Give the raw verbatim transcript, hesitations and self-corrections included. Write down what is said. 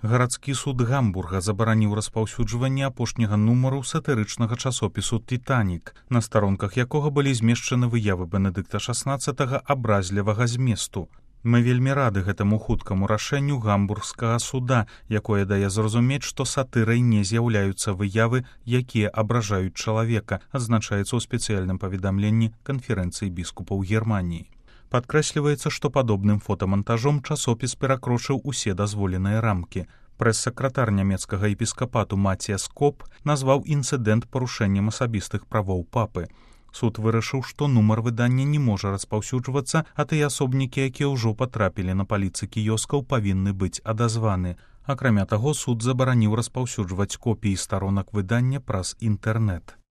Гарадскі суд Гамбурга забараніў распаўсюджванне апошняга нумару сатырычнага часопісу «Титанік», на старонках якога былі змешчаны выявы Бенедыкта шаснаццатага абразлівага зместу. Мы вельмі рады гэтаму хуткаму рашэнню гамбургскага суда, якое дае зразумець, што сатырай не з'яўляюцца выявы, якія абражаюць чалавека, адзначаецца ў спецыяльным паведамленні канферэнцыі біскупаў Германіі. Падкрэсліваецца, што падобным фотамантажом часопіс перакрочыў усе дазволеныя рамкі. Прэс-сакратар нямецкага епіскапату Матіяс Коп назваў інцыдэнт парушэннем асабістых правоў папы. Суд вырашыў, што нумар выдання не можа распаўсюджвацца, а тыя асобнікі, якія ўжо патрапілі на паліцы кіёскаў, павінны быць адазваны. Акрамя таго, суд забараніў распаўсюджваць копіі старонак выдання праз інтэрнэт.